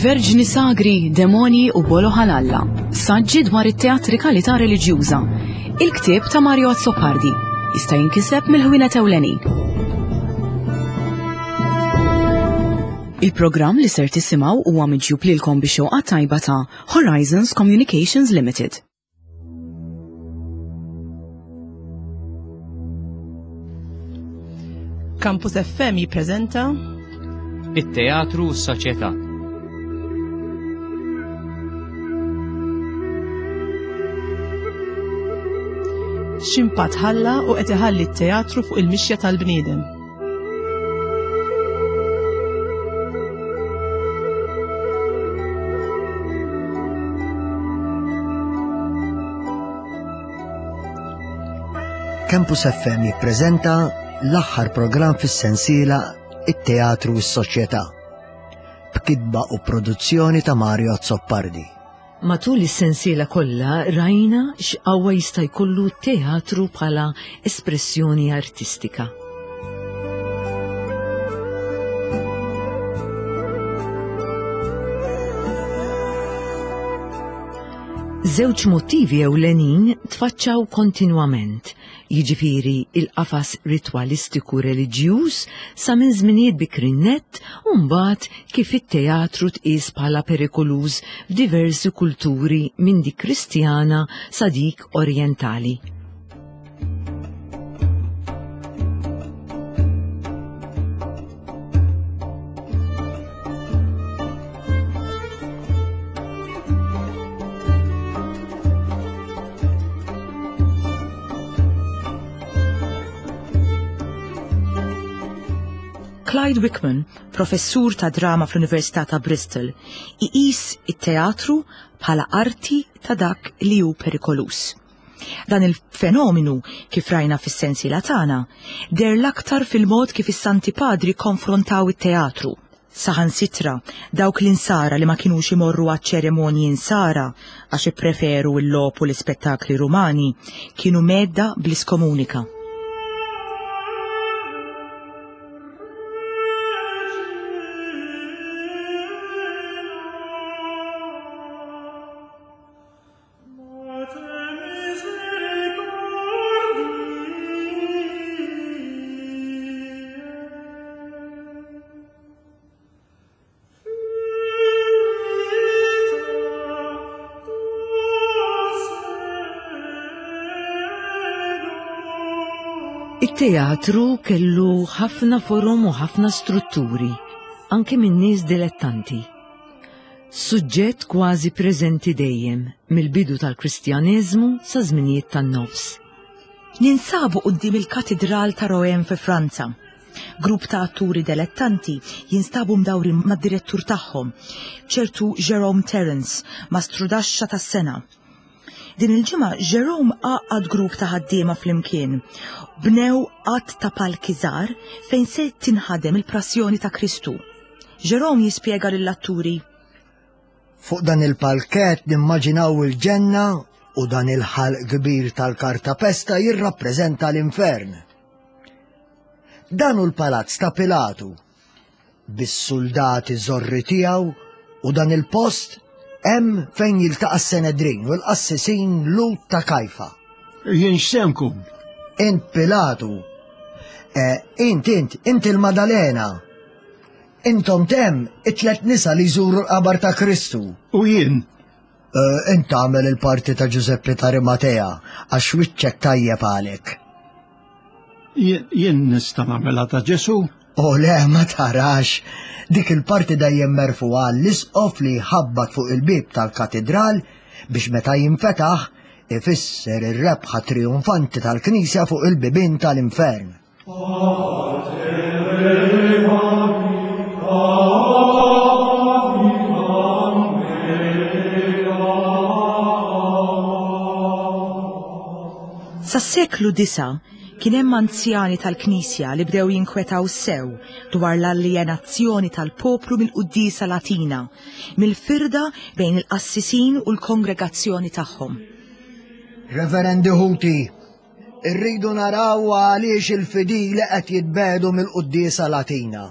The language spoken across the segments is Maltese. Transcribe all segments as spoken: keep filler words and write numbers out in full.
Verġni Sagri, Demonji u Bolo Ħalalla. Saġġi dwar it-teatrikalità reliġjuża. Il-ktieb ta' Mario Azzopardi jista' jinkiseb mill-ħwienet ewlenin. Il-programm li ser tisimgħu huwa miġjub lilkom bix xewqa tajba ta' Horizons Communications Limited. Campus F M jippreżenta It-Teatru u s-Soċjetà. X'impatt ħalla u qed iħalli t-teatru fuq il-mixja tal-bniedem. Campus F M jippreżenta l-aħħar programm fis-sensiela It-Teatru u s-Soċjetà, b'kitba u produzzjoni ta' Mario Azzopardi. Matul is-sensiela kollha rajna x'qawwa jista' jkollu teatru bħala espressjoni artistika. Żewġ motivi ewlenin tfaċċaw kontinwament, jiġifieri il-qafas ritwalistiku reliġjuż sa minn żminijiet bikrin nett u mbagħad kif it-teatru tqies bħala perikoluż f'diversi kulturi minn dik Kristjana sa dik Orjentali. Clyde Wickman, professur ta' drama fl-Università ta' Bristol, iqis it-teatru bħala arti ta' dak li hu perikoluż. Dan il-fenomenu, kif rajna fis-sensiela tagħna, deher l-aktar fil-mod kif is-Santi Padri konfrontaw it-teatru. Saħansitra, dawk l-insara li ma kinux imorru għaċ-ċeremonji insara għax ippreferu l-logħob u l-ispettakli Rumani, kienu mhedda bl-iskomunika. It-teatru kellu ħafna forom u ħafna strutturi, anke minn nies dilettanti. Suġġett kważi preżenti dejjem, mill-bidu tal-Kristjaneżmu sa żminijiet tan-nofs. Ninsabu quddiem il-Katidral ta' Rouen fi Franza. Grupp ta' atturi dilettanti jinstabu mdawrin mad-direttur tagħhom, ċertu Jerome Terence, mastrudaxxa tas-sena. Din il-ġimgħa Jerome għaqqad grupp ta' ħaddiema flimkien. Bnew għadd ta' palki żgħar fejn se tinħadem il-Passjoni ta' Kristu. Jerome jispjega lill-atturi: Fuq dan il-palket nimmaġinaw il-ġenna u dan il-ħalq kbir tal-kartapesta jirrappreżenta l-infern. Dan hu l-palazz ta' Pilatu, bis-soldati żorri tiegħu, u dan il-post hemm fejn jiltaqa' s-Senedrin u l-qassisin Lhud ta' Kajfa. Jien x'se nkun? Int Pilatu. Eh, int, int, int il-Madalena. Intom tem it-tlet nisa li jżuru l-qabar ta' Kristu. U jien? Eh, int tagħmel il-parti ta' Giuseppe ta' Arimatea għax wiċċek tajjeb għalek. Jien jien nista' nagħmilha ta' Ġesu? O le, ma tarax. Dik il-parti dejjem merfugħa l-isqof li ħabbat fuq il-bib tal-katedral biex meta jinfetaħ ifisser ir-rebħa trionfanti tal-Knisja fuq il-bibien tal-infern. Sas-seklu disa' kien hemm anzjani tal-Knisja li bdew jinkwetaw sew dwar l-aljenazzjoni tal-poplu mill-quddiesa Latina, mill-firda bejn il-qassisin u l-kongregazzjoni tagħhom. Reverendi ħuti, irridu naraw għaliex il-fidili qed jitbiegħdu mill-quddiesa Latina.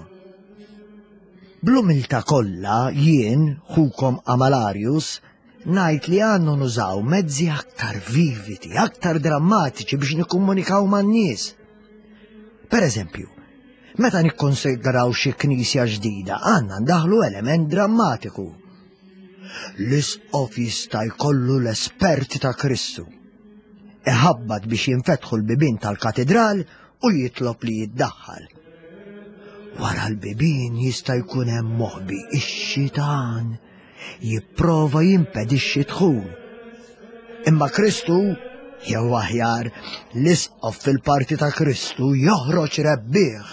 Bl-umiltà kollha jien, ħukom Amalarius, ngħid li għandu nużaw mezzi aktar vividi, aktar drammatiċi biex nikkomunikaw man-nies. Per eżempju, meta nikkonsidraw xi knisja ġdida, għandna ndaħlu element drammatiku. L-isqof jista' jkollu l-esperti ta' Kristu. Iħabbat biex jinfetħu l-bibien tal-katedral u jitlob li jiddaħħal. Wara l-bibien jista' jkun hemm moħbi ix-xitan jipprova jimpedixxi dħul. Imma Kristu, jew aħjar, l-isqof fil-parti ta' Kristu joħroġ rebbieħ.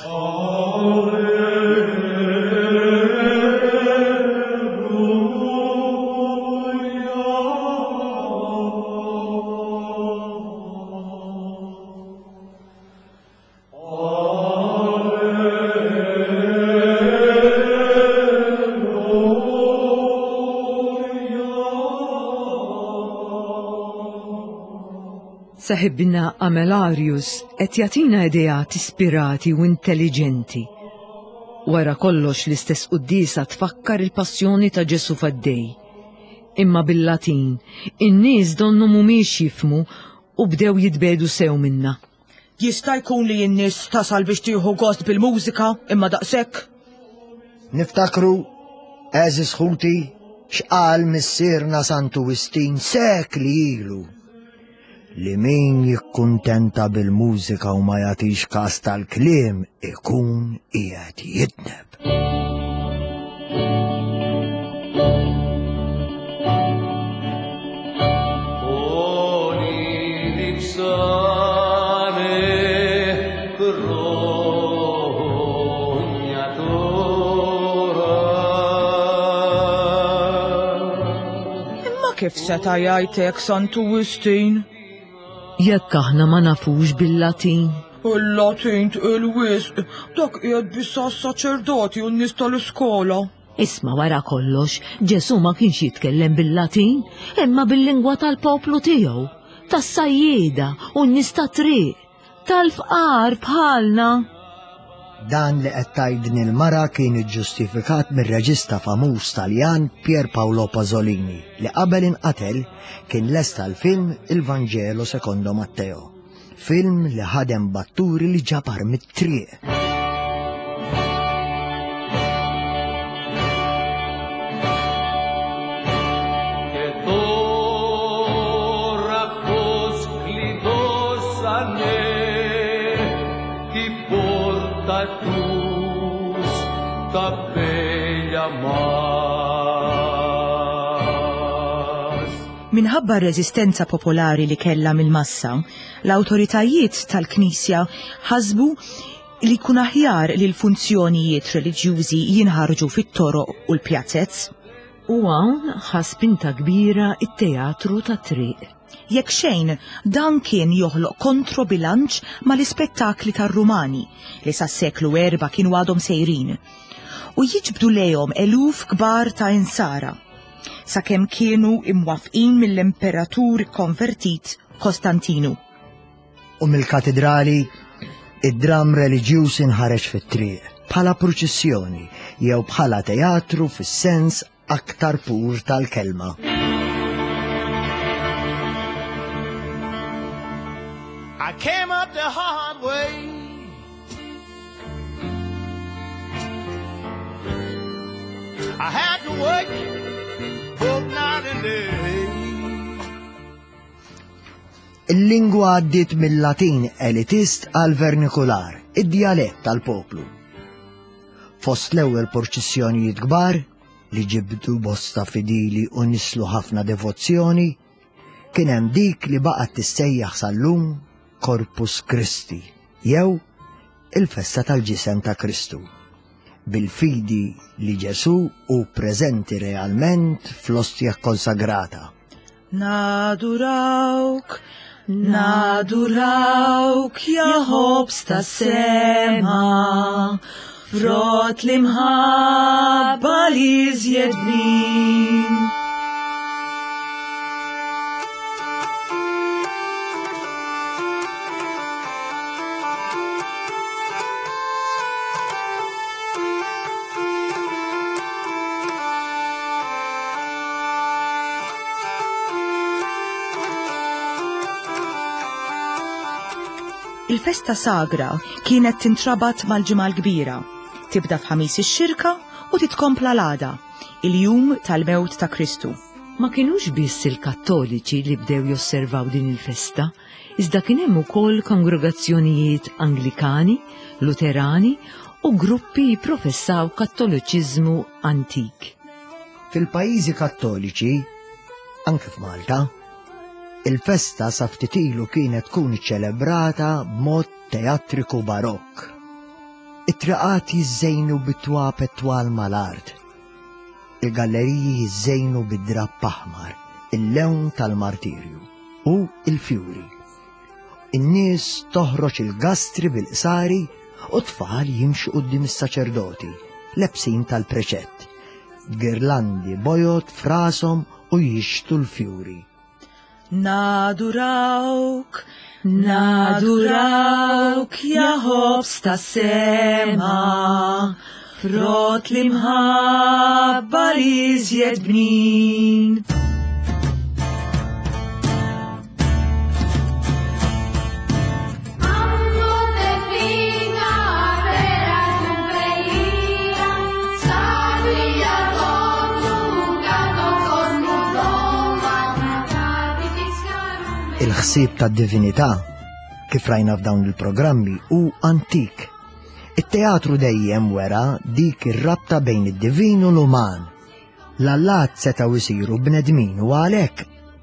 Saħibna Amelarius qed jagħtina ideat ispirati u intelligenti. Wara kollox l-istess quddiesa tfakkar il-passjoni ta' Ġesu faddej. Imma bil-Latin, in-nies donnu mhumiex jifhmu u bdew jitbedu sew minna. Jista' jkun li n-nies tasal biex tieħu gost bil-mużika imma daqshekk? Niftakru, għeżież ħuti, x'qal missierna Santu Wistin sekli ilu. Li min jikkuntenta bil-mużika u ma jagħtix każ tal-kliem ikun qiegħed jidneb. Imma kif seta' jgħidlek Santu Wistin? Jekk aħna ma nafux bil-Latin. Il-Latin tqil wisq, dak qiegħed biss għas-saċerdoti u n-nies tal-iskola. Isma' wara kollox, Ġesu ma kienx jitkellem bil-Latin, imma bil-lingwa tal-poplu tiegħu, tas-sajjieda u n-nies tat-triq, tal-fqar bħalna. Dan li qed tgħidni l-mara kien iġġustifikat mir-reġista famuż Taljan Pier Paolo Pasolini li qabel inqatel kien lesta l-film Il Vangelo secondo Matteo, film li ħadem batturi li ġabar mit-triq. Minħabba r-reżistenza popolari li kellha mill-massa, l-awtoritajiet tal-Knisja ħasbu li jkun aħjar li l-funzjonijiet reliġjużi jinħarġu fit-toroq u l-pjazzez. U hawn ħa spinta kbira it-teatru tat-triq. Jekk xejn, dan kien joħloq kontrobilanċ mal-ispettakli tar-Rumani li sas-seklu erba' kienu għadhom sejrin u jiġbdu lejhom eluf kbar ta' insara sakemm kienu imwafqin mill-imperatur konvertit Kostantinu. U mill-katedrali, id-dram reliġjuż inħareġ fit-triq bħala pruċissjoni jew bħala teatru fis-sens aktar pur tal-kelma. I came up the hard way. I had to work both night and day. Il-lingwa għaddiet mill-Latin elitist għal vernikular, id-djalett tal-poplu. Fost l-ewwel purċissjonijiet kbar li ġibdu bosta fidili u nislu ħafna devozzjoni, kien hemm dik li baqgħet tissejjaħ sal-lum Corpus Christi, jew il-festa tal-ġisem ta' Kristu, bil-fidi li Ġesu hu preżenti realment fl-ostja konsagrata. Nadurawk, nadurawk, ja ħobż tas-sema, frott l-imħabba li żjed bnin. Il-festa sagra kienet tintrabat mal-Ġimgħa l-Kbira, tibda f'Ħamis ix-Xirka u titkompla l-għada, il-jum tal-mewt ta' Kristu. Ma kienux biss il-Kattoliċi li bdew josservaw din il-festa, iżda kien hemm ukoll kongregazzjonijiet Anglikani, Luterani u gruppi jipprofessaw Kattoliċiżmu antik. Fil-pajjiżi Kattoliċi, anke f'Malta, il-festa sa ftit ilu kienet tkun iċċelebrata b'mod teatriku barokk. It-triqat jiżżejnu bit-twapet twal mal-art. Il-galleriji jiżżejnu bid-drapp aħmar, il-lewn tal-martirju u il-fjuri. In-nies toħroġ il-gastri bil-qsari u tfal jimxu quddiem is-saċerdoti, lebsin tal-preċett, b'girlandi bojod f'rashom u jixtu l-fjuri. Nadurawk, nadurawk, ja ħobż tas-sema, frott l-imħabba li iżjed bnin. Il-ħsieb tad-divinità, kif rajna f'dawn il-programmi, hu antik. It-teatru dejjem wera dik ir-rabta bejn id-divin u l-uman. L-allat setgħu jsiru bnedmin u għalhekk,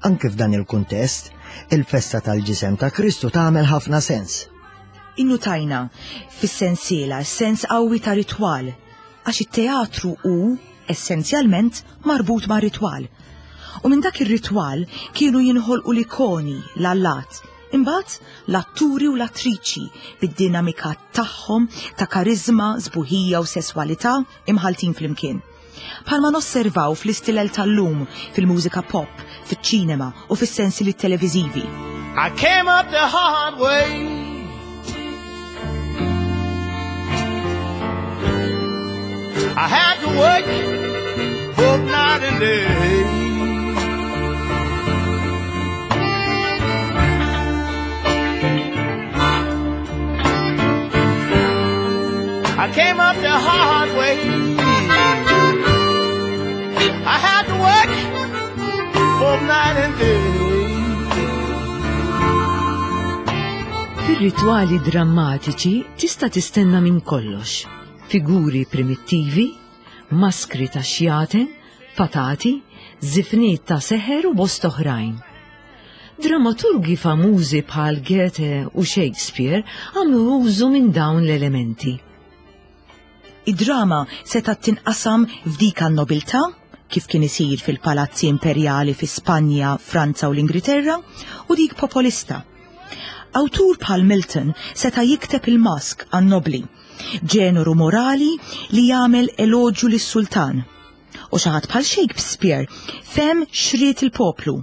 anke f'dan il-kuntest, il-festa tal-ġisem ta' Kristu tagħmel ħafna sens. Innutajna fis-sensiela sens qawwi ta' ritwal, għax it-teatru hu essenzjalment marbut ma' ritwal. U minn dak ir-ritwal kienu jinħolqu l-ikoni, l-allat, imbagħad l-atturi u l-attriċi bid-dinamika tagħhom ta' karizma, sbuħija u sesswalità imħaltin flimkien. Bħalma nosservaw fl-istilel tal-lum, fil-mużika pop, fiċ-ċinema u fis-sensili televiżivi. I came up the hard way. I had to work both night and day. I came up the hard way. I had to work both night and day. Fir-ritwali drammatiċi tista' tistenna minn kollox. Figuri primittivi, maskri ta' xjaten, fatati, żifniet ta' seħer u bost oħrajn. Dramaturgi famużi bħal Goethe u Shakespeare għamlu użu minn dawn l-elementi. Id-drama setgħet tinqasam f'dik għan-nobiltà, kif kien isir fil-palazzi imperjali fi Spanja, Franza u l-Ingilterra, u dik popolista. Awtur bħal Milton seta' jikteb il-mask għan-nobli, ġeneru morali li jagħmel eloġju lis-sultan. U xi ħadd bħal Shakespeare fem xriet il-poplu.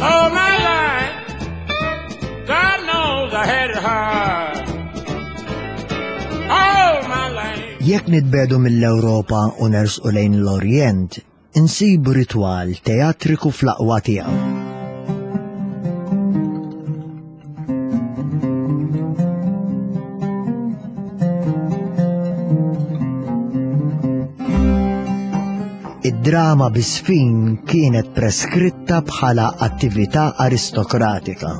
All my life, God knows I had it hard. All my life. Jekk nitbedu mill-Ewropa u nersqu lejn l-Orjent, insibu ritwal teatriku fl-aqwa tiegħu. Id-drama bisfin kienet preskritta bħala attività aristokratika.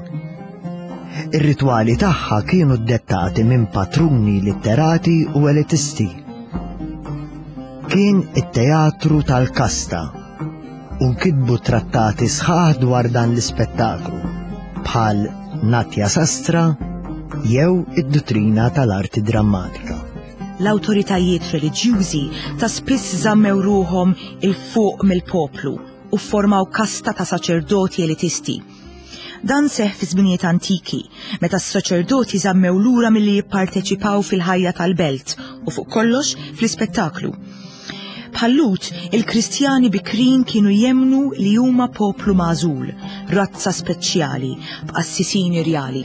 Ir-ritwali tagħha kienu ddettati minn patruni litterati u elitisti. Kien it-teatru tal-kasta u nkitbu trattati sħaħ dwar dan l-ispettaklu bħal Natya Sastra jew id-duttrina tal-arti drammatika. L-awtoritajiet reliġjużi ta' spiss żammew ruhom il-fuq mill-poplu u formaw kasta ta' saċerdoti elitisti. Dan seħ fi żminijiet antiki, meta s-saċerdoti żammew lura milli jipparteċipaw fil-ħajja tal-belt u fuq kollox fl-ispettaklu. Bħal-Lhud, il-Kristjani bikrin kienu jemmnu li huma poplu magħżul, razza speċjali, b'qassisin irjali.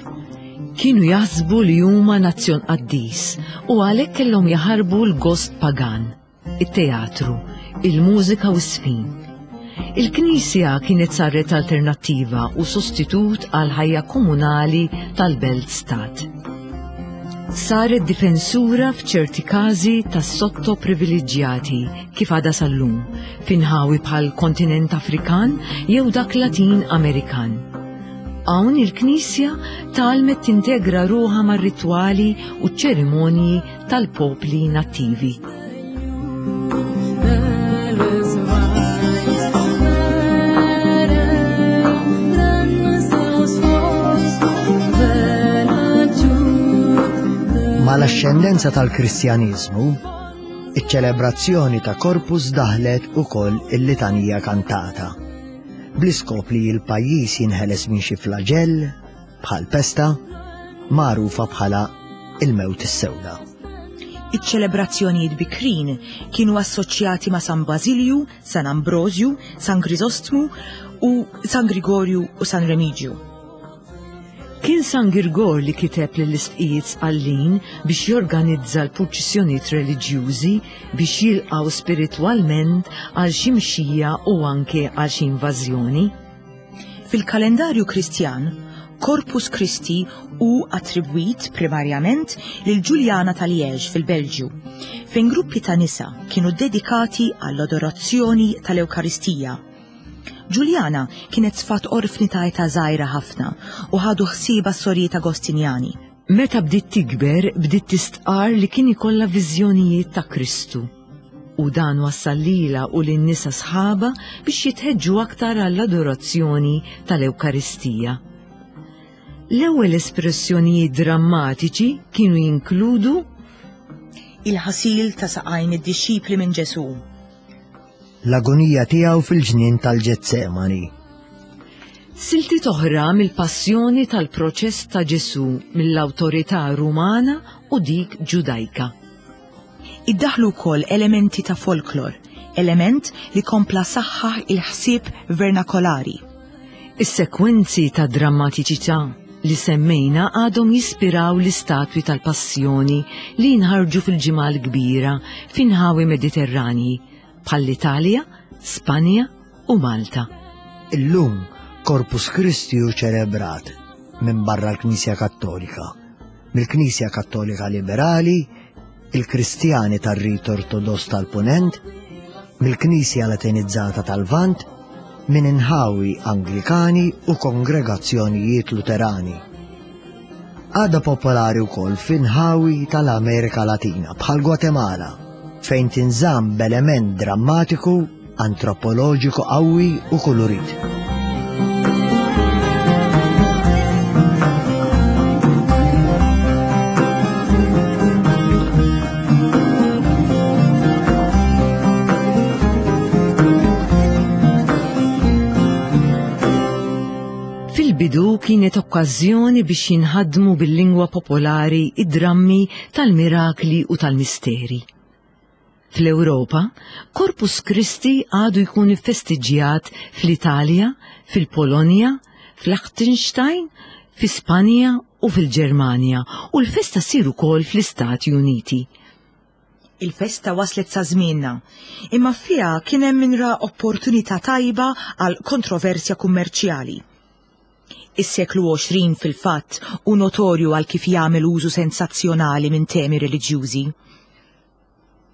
Kienu jaħsbu li huma nazzjon qaddis u għalhekk kellhom jaħarbu l-gost pagan, it-teatru, il-mużika u s-sfin. Il-Knisja kienet saret alternattiva u sostitut għal ħajja komunali tal-belt stat. Saret difensura f'ċerti każi tas sotto privileġġjati kif għadha sal-lum, f'inħawi bħal kontinent Afrikan jew dak Latin Amerikan. Hawn il-Knisja tgħallmet tintegra ruħha mar-ritwali u ċ-ċerimonji tal-popli nattivi. Mal-axxendenza tal-Kristjaniżmu, iċ-ċelebrazzjoni ta' Corpus daħlet ukoll il-litanija kantata, bl-iskop li l-pajjiż jinħeles minn xi flaġell bħal pesta magħrufa bħala il-mewt is-sewda. Iċ-ċelebrazzjonijiet bikrin kienu assoċjati ma' San Basilju, San Ambrosju, San Grisostmu u San Grigorju u San Remigju. Kien San Girgor li kiteb lill-isqfijiet Sqallin biex jorganizza l-purċissjonijiet reliġjużi biex jilqgħu spiritwalment għal xi mxija u anke għal xi invażjoni. Fil-kalendarju Kristjan, Corpus Christi hu attribwit primarjament lil Ġuljana ta' Liège fil-Belġju, fejn gruppi ta' nisa kienu dedikati għall-adorazzjoni tal-Ewkaristija. Ġuljana kienet sfat orfni ta' età żgħira ħafna u ħadu ħsiebha s-sorijiet Agostinjani. Meta bdiet tikber, bdiet tistqar li kien ikollha viżjonijiet ta' Kristu. U dan wassal lilha u lin-nisa sħaba biex jitħeġġu aktar għall-adorazzjoni tal-Ewkaristija. L-ewwel espressjonijiet drammatiċi kienu jinkludu il-ħasil ta' saqajn id-dixxipli minn Ġesù, l-agonija tiegħu fil-ġnien tal-Ġetsemani, siltiet oħra mill-passjoni tal-proċess ta' Ġesù mill-awtorità Rumana u dik Ġudajka. Iddaħlu wkoll elementi ta' folklor, element li kompla saħħaħ il-ħsieb vernakolari. Is-sekwenzi ta' drammatiċità li semmejna għadhom jispiraw l-istatwi tal-passjoni li jinħarġu fil-ġimgħa l-kbira f'inħawi Mediterranji bħall-Italja, Spanja u Malta. Illum Corpus Christi hu ċelebrat minn barra l-Knisja Kattolika, mill-Knisja Kattolika Liberali, il-Kristjani tar-Rit Ortodoss tal-Punent, mill-Knisja Latinizzata tal-Lvant, minn inħawi Anglikani u kongregazzjonijiet Luterani. Għadha popolari wkoll f'inħawi tal-Amerika Latina bħal Gwatemala, fejn tinżamm b'element drammatiku, antropoloġiku qawwi u kulurit. Fil-bidu kienet okkażjoni biex jinħadmu bil-lingwa popolari id-drammi tal-mirakli u tal-misteri. Fl-Ewropa, Corpus Christi għadu jkun iffestiġġjat fl-Italja, fil-Polonja, fl-Liechtenstein, fi Spanja u fil-Ġermanja, u l-festa ssir ukoll fl-Istati Uniti. Il-festa waslet sa żmienna, imma fiha kien hemm min ra opportunità tajba għal kontroversja kummerċjali. Is-seklu għoxrin fil-fatt hu notorju għal kif jagħmel użu sensazzjonali minn temi reliġjużi.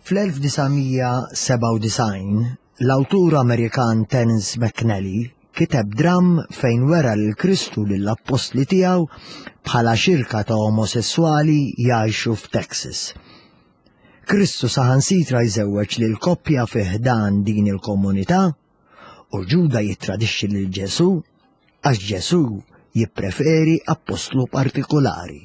Fl-elf disa' mija sebgħa u disgħin, l-awtur Amerikan Terence McNally kiteb dramm fejn wera lil Kristu lill-appostli tiegħu bħala xirka ta' omosessuali jgħixu f'Texas. Kristu saħansitra jżewweġ lil koppja fi ħdan din il-komunità u Ġuda jittradixxi lil Ġesù għax Ġesù jippreferi appostlu partikolari.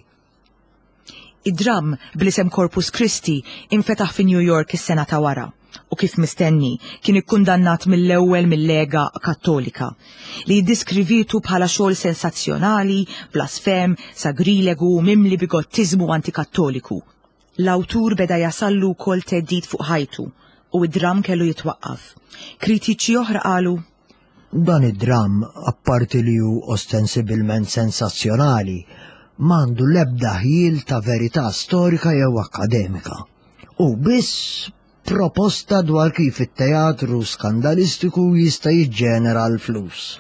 Id-dramm bl-isem Corpus Christi infetaħ fi New York is-sena ta' wara u kif mistenni kien ikkundannat mill-ewwel mill-Lega Kattolika li jiddeskrivitu bħala xogħol sensazzjonali, blasfem, sagrilegu, mimli bigottiżmu antikattoliku. L-awtur beda jasallu wkoll theddid fuq ħajtu u id-dram kellu jitwaqqaf. Kritiċi oħra qalu Dan id-dram, apparti li hu ostensibilment sensazzjonali, m'għandu l-ebda ħjiel ta' verità storika jew akademika. U biss proposta dwar kif it-teatru skandalistiku jista' jiġġenera l-flus.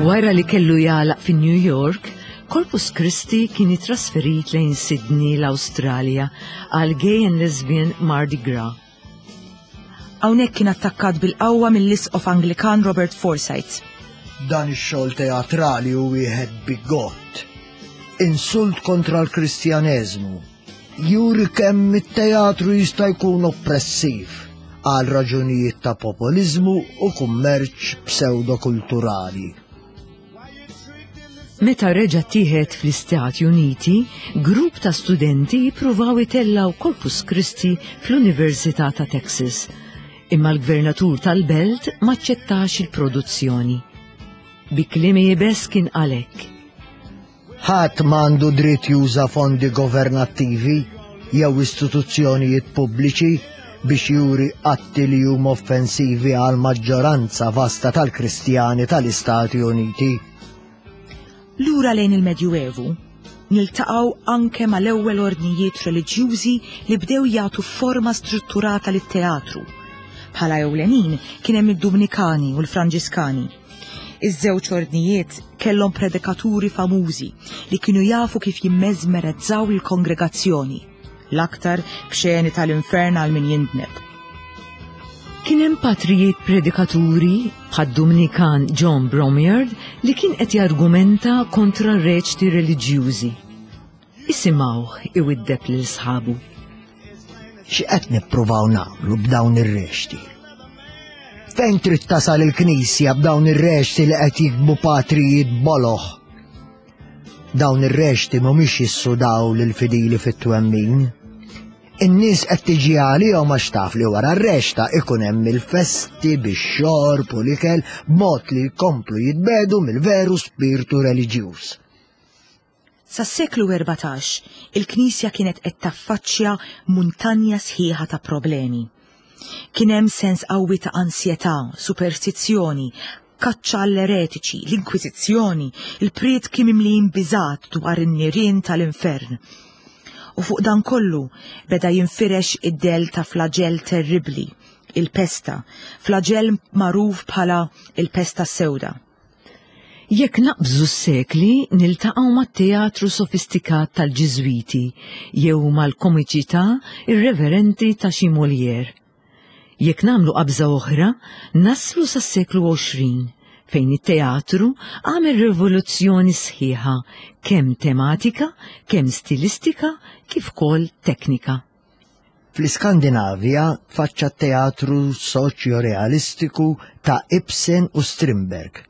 Wara li kellu jagħlaq fi New York, Corpus Christi kien ittrasferit lejn Sydney l-Awstralja għal Gay and Lesbian Mardi Gras. Hawnhekk kien attakkat bil-qawwa mill-Isqof Anglikan Robert Forsyth. Dan ix-xogħol teatrali hu wieħed bigott. Insult kontra l-Kristjaneżmu. Juri kemm it-teatru jista' jkun oppressiv għal raġunijiet ta' popoliżmu u kummerċ pseudokulturali. Meta reġa' tieħed fl-Istati Uniti, grupp ta' studenti jippruvaw itellaw Corpus Christi fl-Università ta' Texas. Imma l-gvernatur tal-belt maċċettax il-produzzjoni. Bi kliem iebes kien għalhekk. Ħadd m'għandu dritt juża fondi governattivi jew istituzzjonijiet pubbliċi biex juri atti li huma offensivi għal maġġoranza vasta tal-Kristjani tal-Istati Uniti. Lura lejn il-Medjuevu, niltaqgħu anke mal-ewwel ordnijiet reliġjużi li bdew jagħtu forma strutturata lit-teatru. Bħala ewlenin kien hemm id-Dumnikani u l-Franġiskani. Iż-żewġ ordnijiet kellhom predikaturi famużi li kienu jafu kif jimmeżmerezzaw il-kongregazzjoni, l-aktar b'xeni tal-infern għal min jindneb. Kien hemm patrijiet predikaturi bħad-Dumnikan John Bromyard li kien qed jargumenta kontra reċti reliġjużi. Isimgħuh iwiddeb lil sħabu. X'qed nippruvaw nagħmlu b'dawn ir-rexti? Fejn trid tasal il-Knisja b'dawn ir-rexti li qed jikbu patrijiet boloh? Dawn ir-rexti mhumiex jissudaw lill-fidili fit-twemmin. In-nies qed tiġi għalihom għax taf li wara r-rexta ikun hemm il-festi bix-xorb u l-ikel b'mod li jkomplu jitbedu mill-veru spirtu reliġjuż. Sas-seklu erbatax, il-Knisja kienet qed taffaċċja muntanja sħiħa ta' problemi. Kien hemm sens qawwi ta' ansjetà, superstizzjoni, kaċċa għall-eretiċi, l-Inkwiżizzjoni, il-prietki mimlijin biżgħat dwar in-nirien tal-infern. U fuq dan kollu beda jinfirex id-del ta' flagell terribli, il-pesta, flagell magħruf bħala il-pesta sewda. Jekk naqbżu s-sekli niltaqgħu mat-teatru sofistikat tal-Ġiżwiti jew mal-komiċità irreverenti ta' xi Molière. Jekk nagħmlu qabża oħra, naslu sas-seklu għoxrin fejn it-teatru għamel rivoluzzjoni sħiħa kemm tematika, kemm stilistika, kif ukoll teknika. Fl-Iskandinavja tfaċċa teatru soċjo-realistiku ta' Ibsen u Strindberg.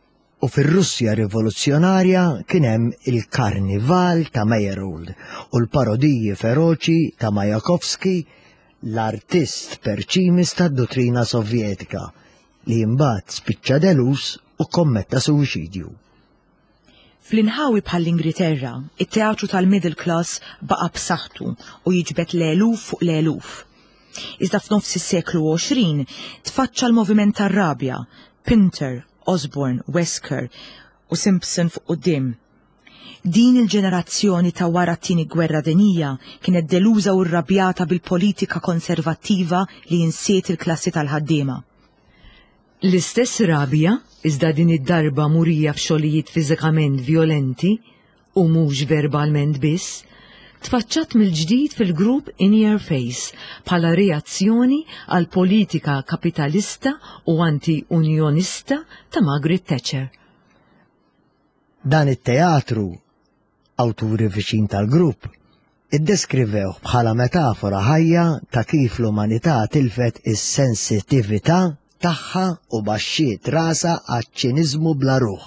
U fir-Russja rivoluzzjonarja kien hemm il-Karnival ta' Meyerhold u l-parodiji feroċi ta' Majakovski, l-artist perċimis tad-dottrina Sovjetika li mbagħad spiċċa delus u kommetta suwiċidju. Fl-inħawi bħall-Ingilterra, it-teatru tal-middle class baqa' b'saħħtu u jiġbed l-eluf fuq l-eluf. Iżda f'nofs is-seklu għoxrin tfaċċa l-moviment tar-rabja, Pinter, Osborne, Wesker u Simpson fuq quddiem. Din il-ġenerazzjoni ta' wara t-tieni gwerra dinjija kienet deluża u rrabjata bil-politika konservattiva li insiet il-klassi tal-ħaddiema. L-istess rabja, iżda din id-darba murija f'xogħlijiet fiżikament violenti u mhux verbalment biss, tfaċċat mill-ġdid fil-grupp In Your Face bħala reazzjoni għal politika kapitalista u anti-unjonista ta' Margaret Thatcher. Dan it-teatru, awturi viċin tal-grupp, iddeskrivewh bħala metafora ħajja ta' kif l-umanità tilfet is-sensitività tagħha u baxxiet rasha għaċ-ċiniżmu bla ruħ.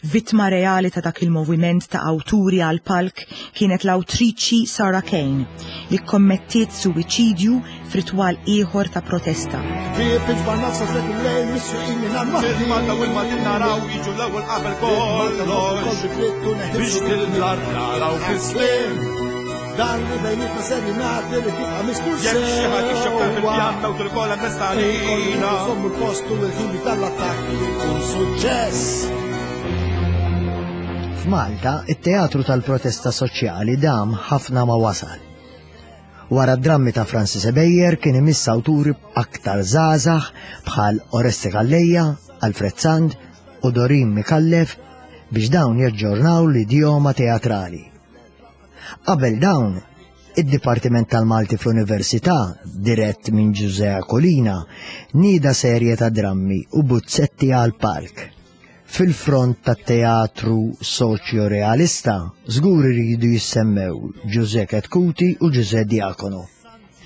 Vittma reali ta' dak il-moviment ta' awturi għal palk kienet l-awtriċi Sarah Kane li kommettiet suwiċidju f'ritwal ieħor ta' protesta. Dan li bejnietna ser jingħati li tibqa' mistur sew. Jekk xi ħadd ixxokkar fil-pjanta u tilkola mestalina. Nżommu l-post u l-ħin tal-attakk jkun suċċess. F'Malta, it-teatru tal-protesta soċjali dam ħafna ma wasal. Wara d-drammi ta' Francis Ebejer kien imiss awturi aktar żgħażagħ bħal Oreste Calleja, Alfred Sand u Dorin Micallef biex dawn jaġġornaw l-idjoma teatrali. Qabel dawn, id-Dipartiment tal-Malti fl-Università, dirett minn Ġużè Aquilina, nieda serje ta' drammi u buzzetti għal palk. Fil-front tat-teatru soċjo-realista, żgur iridu jissemmew Ġużè Chetcuti u Ġużè Diacono.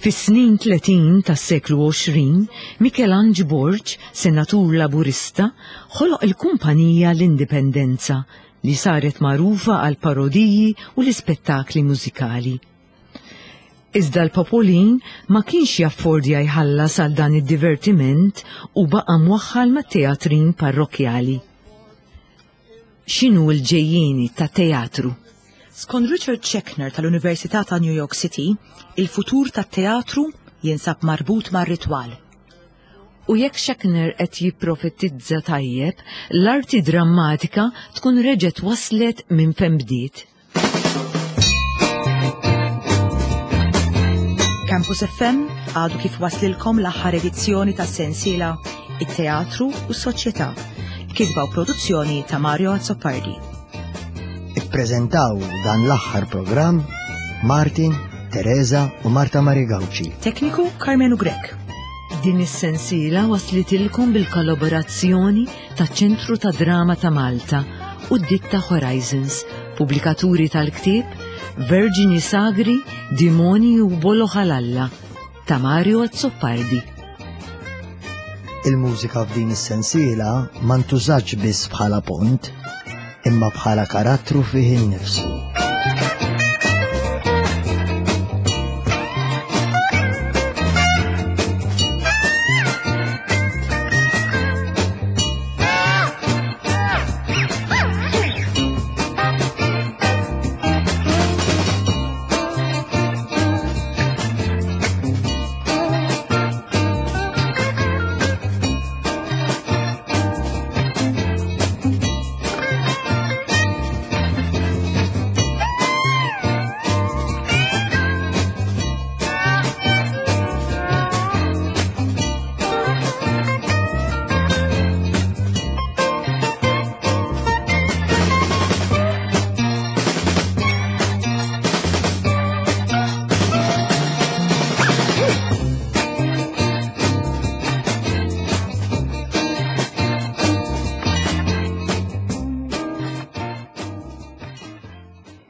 Fis-snin tletin tas-seklu għoxrin, Mikelanġ Borg, senatur laburista, ħoloq il-kumpanija l-Indipendenza li saret magħrufa għal parodiji u l-ispettakli mużikali. Iżda l-popolin ma kienx jaffordja jħallas għal dan id-divertiment u baqa' mwaħħal mat-teatrin parrokjali. X'inhu l-ġejjieni ta' teatru? Skont Richard Schechner tal-Università ta' New York City, il-futur tat-teatru jinsab marbut mar-ritwal. U jekk Schechner qed jipprofetizza tajjeb, l-arti drammatika tkun reġgħet waslet minn fejn bdiet. Campus F M għadu kif waslilkom l-aħħar edizzjoni tas-sensiela It-Teatru u s-Soċjetà, kitba u produzzjoni ta' Mario Azzopardi. Ippreżentaw dan l-aħħar programm Martin, Teresa u Marta Marie Gauci. Tekniku Carmenu Grech. Din is-sensiela waslitilkom bil-kollaborazzjoni taċ-Ċentru ta' Drama ta' Malta u d-ditta Horizons, pubblikaturi tal-ktieb Verġini Sagri, Dimoni u Bolo Ħalalla ta' Mario Azzopardi. Il-mużika f'din is-sensiela ma ntużatx biss bħala pont, imma bħala karattru fih innifsu.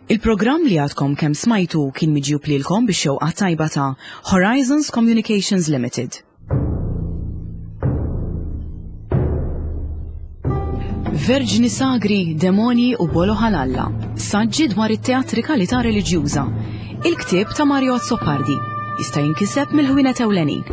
Il-programm li għadkom kemm smajtu kien miġjub lilkom bix-xewqa tajba ta' Horizons Communications Limited. Verġni Sagri, Demoni u Bolo Ħalalla, saġġi dwar it-teatrikalità reliġjuża. Il-ktieb ta' Mario Azzopardi jista' jinkiseb mill-ħwienet ewlenin.